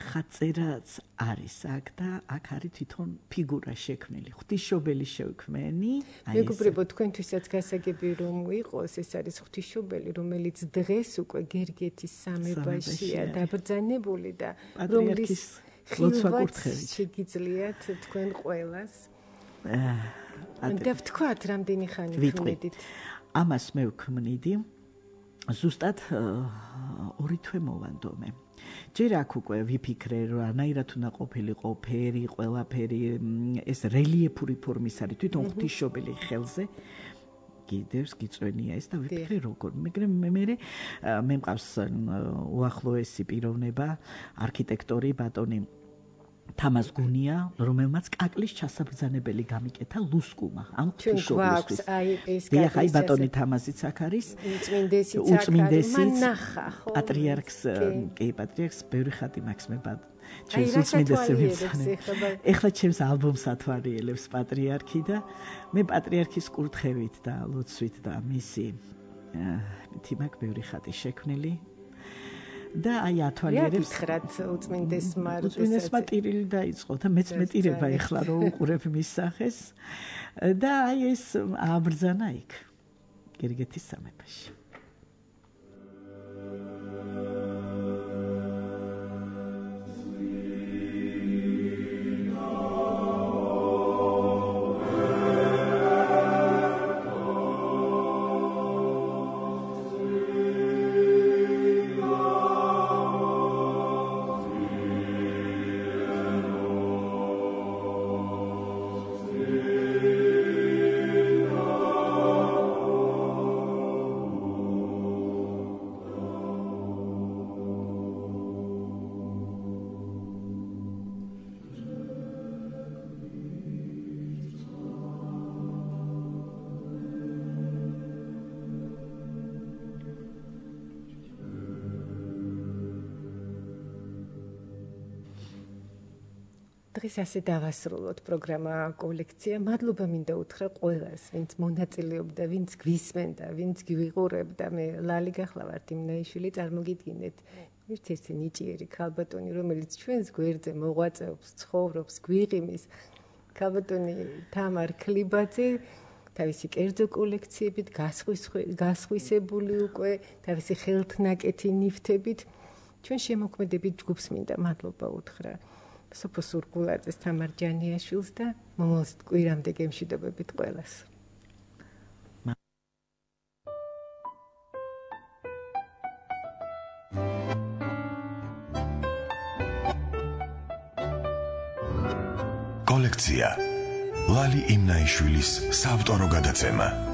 ხაწერაც არის აქ და აქ არის თვითონ ფიგურა შექმნილი. ღვთისმშობელი შევქმენი. მეგობრებო, თქვენთვისაც გასაგები რომ იყოს, ეს არის ღვთისმშობელი, რომელიც დღეს უკვე გერგეთის სამებაშია დაბრძანებული და რომლის ხილვაც შეგიძლიათ თქვენ ყველას. და ვთქვათ, რამდენი ხანი ვქმნიდით? ამას მე ვქმნიდი ზუსტად ორი თვე მოვანდომე. ჯერ აქ უკვე ვიფიქრე რომ რანაირად უნდა ყოფილიყო ფერი, ყველაფერი ეს რელიეფური ფორმის არის თვითონ ღვთისმშობელი ხელზე კიდევს გიწვენია ეს და ვიფიქრე როგორ. მაგრამ მე მე მე მყავს უახლოესი პიროვნება, არქიტექტორი ბატონი თამაზ გუნია, რომელმაც კაკლის ჩასაბრძანებელი გამიკეთა ლუსკუმა ამ ღვთისმშობლისთვის. დიახ, აი ბატონი თამაზიც აქ არის. უწმინდესიც ნახა, ხო? პატრიარქს, კი, პატრიარქს ბევრი ხატი მაქვს მე ბატ. ჩემს უწმინდესებს. ეხლა ჩემს ალბომს ათვალიერებს პატრიარქი და მე პატრიარქის კურთხევით და ლოცვით და მისი თი მაქვს ბევრი ხატი შექმნილი. და აი ათვალიერებს ხრათ უწმინდესმა უწმინდესმა ტირილი დაიწყო და მეც მეტირება ეხლა რომ უყურებ მის სახეს და აი ეს ააბრძანა იქ გერგეთის სამეფოში. დღეს ასე დავასრულოთ პროგრამა კოლექცია. მადლობა მინდა უთხრა ყველას, ვინც მონაწილეობდა, ვინც გვისმენდა, ვინც გვიყურებდა. მე ლალი გახლავართ იმნაიშვილი, წარმოგიდგინეთ. ერთ-ერთი ნიჭიერი ქალბატონი, რომელიც ჩვენს გვერდზე მოღვაწეობს, ცხოვრობს, გვიღიმის. ქალბატონი თამარ ქლიბაძე თავისი კერძო კოლექციებით გასხვისებული უკვე, თავისი ხელთნაკეთი ნივთებით ჩვენ შემოქმედებით ჯგუფს მინდა მადლობა უთხრა. სოფო სურგულაძეს, თამარ ჯანიაშვილს და მომავალ კვირამდე გემშვიდობებით ყველას. კოლექცია ლალი იმნაიშვილის საავტორო გადაცემა.